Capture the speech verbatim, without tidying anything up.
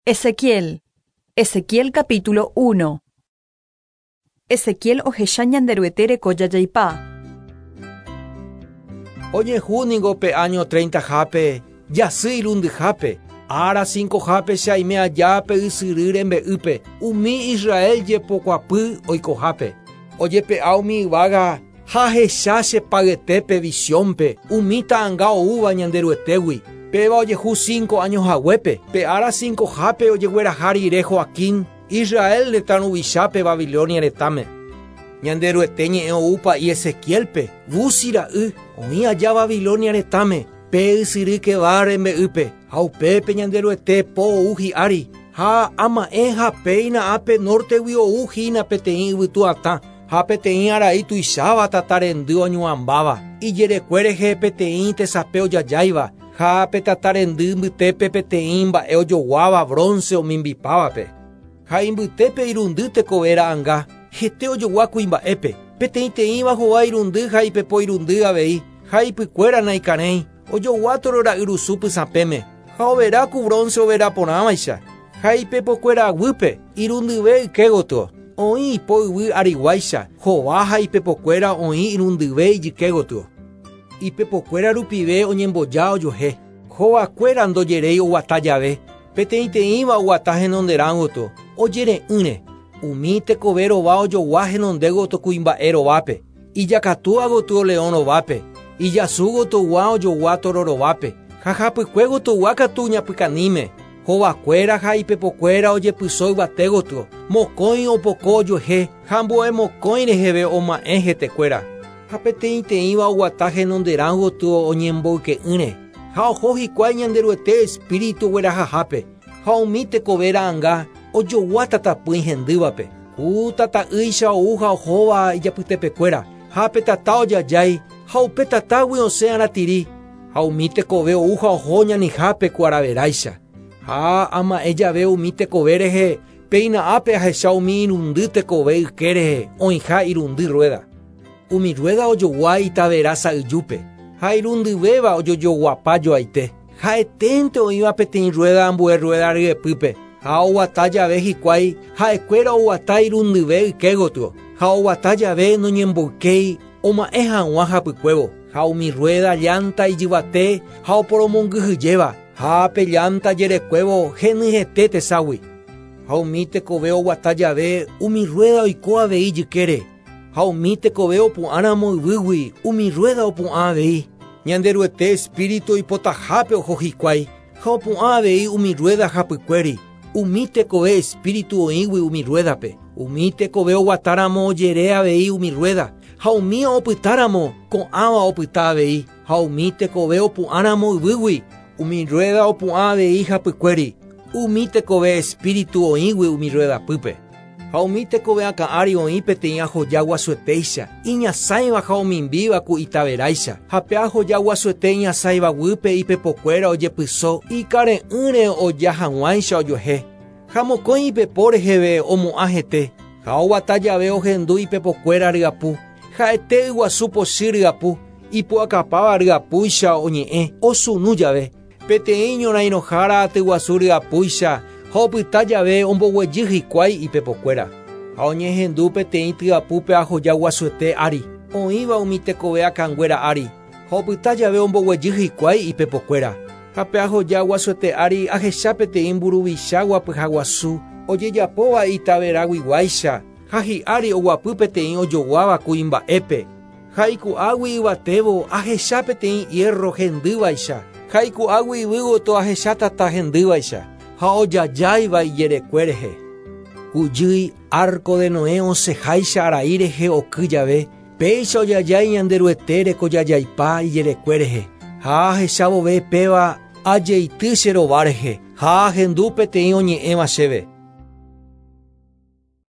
Ezequiel. Ezequiel capítulo uno. Ezequiel ohecha Ñanderuete reko jajaipa. Ojehu ningo pe año treinta hápe, jasy irundyhápe, ára cinco hápe che aime aja pe ysyry rembe'ýpe, umi Israel jepokuapy oikohápe. Ojepe'a umi yvága ha ahecha che payetépe visiónpe, umi ta'ãnga oúva Ñanderuetégui. Péva ojehu cinco años haguépe, pe ára cinco hápe ojegueraha rire Joaquín, Israel retã ruvichápe Babilonia retãme. Ñanderuete ñe'ẽ ou pa'i Ezequielpe, Buzi ra'y, oĩ aja Babilonia retãme, pe ysyry Kebar rembe'ýpe, ha upépe Ñanderuete po ou hi'ári, ha ama'ẽ ha péina ápe nortegui ou hína peteĩ yvytu atã, ha peteĩ arai tuicháva tatarendy oñuãmbáva, ijerekue rehe peteĩ tesape ojajáiva, ha pe tatarendy mbytépe peteĩ mba'e ojoguáva bronce omimbipávape. Ha imbytépe irundy tekove ra'ãnga, hete ojogua kuimba'épe, peteĩteĩva hova irundy ha ipepo irundy avei, ha ipykuéra naikarẽi, ojogua torora'yrusu pysãpéme, ha overa ku bronce overa porãvaicha, ha ipepokuéra aguýpe, irundyve yke gotyo, oĩ ipo yvy ariguáicha, hova ha ipepokuéra oĩ irundyve ijyke gotyo. Ipepokuéra rupive oñemboja ojuehe, hovakuéra ndojeréi oguata jave, peteĩteĩva oguata henonderã gotyo, ojere'ỹre, umi tekove rova ojogua henonde gotyo kuimba'e rovápe, ijakatúa gotyo león rovápe, ijasu gotyogua ojogua toro rovápe, ha hapykue gotyogua katu ñapykaníme, hovakuéra ha ipepokuéra ojepyso yvate gotyo, mokõi opoko ojuehe ha ambue mokõi reheve oma'ẽ hetekuéra. Ha peteĩteĩva oguata henonderã gotyo oñemboyke'ỹre, ha oho hikuái Ñanderuete espíritu oguerahahápe, ha umi tekove ra'ãnga ojogua tatapỹi hendývape, ku tata'ýicha ou ha ohóva ijapytepekuéra, ha pe tata ojajái, ha upe tatágui osẽ aratiri, ha umi tekove ou ha oho ñanihápe ku araveráicha. Ha ama'ẽ jave umi tekove rehe, péina ápe ahecha umi irundy tekove yke rehe oĩha irundy rueda. Umi rueda ojogua itavera sa'yjúpe, ha irundyvéva ojojoguapa joaite. Ha'eténte oĩva peteĩ rueda ambue rueda ryepýpe, ha oguata jave hikuái, ha'ekuéra oguata irundyve yke gotyo, ha oguata jave noñemboykéi oma'ẽ hag̃ua hapykuévo, ha umi rueda llanta ijyvate ha oporomongyhyjéva, ha pe llanta jerekuévo henyhẽte teságui. Ha umi tekove oguata jave umi rueda oiko avei ijykére, ha umi tekove opu'ãramo yvýgui umi rueda opu'ã avei. Ñanderuete espíritu oipotahápe oho hikuái, ha opu'ã avei umi rueda hapykuéri, umi tekove espíritu oĩgui umi ruedape, umi tekove oguatáramo ojere avei umi rueda, ha umi opytáramo ko'ãva opyta avei, ha umi tekove opu'ãramo yvýgui, umi rueda opu'ã avei hapykuéri, umi tekove espíritu oĩgui umi ruedapýpe. Ha umi tekove akã ári oĩ peteĩ ahoja guasuetéicha, iñasãiva ha omimbíva ku itaveráicha, ha pe ahoja guasuete iñasãiva guýpe ipepokuéra ojepyso, ikare'ỹre oja hag̃uáicha ojuehe. Ha mokõi ipepo reheve omo'ã hete, ha oguata jave ohendu ipepokuéra ryapu, ha'ete yguasu pochy ryapu, ipu'akapáva ryapúicha oñe'ẽ osunu jave, peteĩ ñorãirõhára atyguasu ryapúicha, ha opyta jave omboguejy hikuái ipepokuéra. Ha oñehendu peteĩ tyapúpe ahoja guasuete ári, oĩva umi tekove akãnguéra ári, ha opyta jave omboguejy hikuái ipepokuéra. Ha pe ahoja guasuete ári ahecha peteĩ mburuvicha guapyha guasu, ojejapóva itaveraguiguáicha, ha hi'ári oguapy peteĩ ojoguáva kuimba'épe. Ha iku'águi yvatévo ahecha peteĩ hierro hendývaicha, ha iku'águi yvy gotyo ahecha tata hendývaicha, ha ojajáiva ijerekue rehe. Kujýi arco de Noé osẽháicha arai rehe oky jave, péicha ojajái Ñanderuete reko jajaipa ijerekue rehe. Ha ahecha vove péva ajeity che rova rehe, ha ahendu peteĩ oñe'ẽva chéve.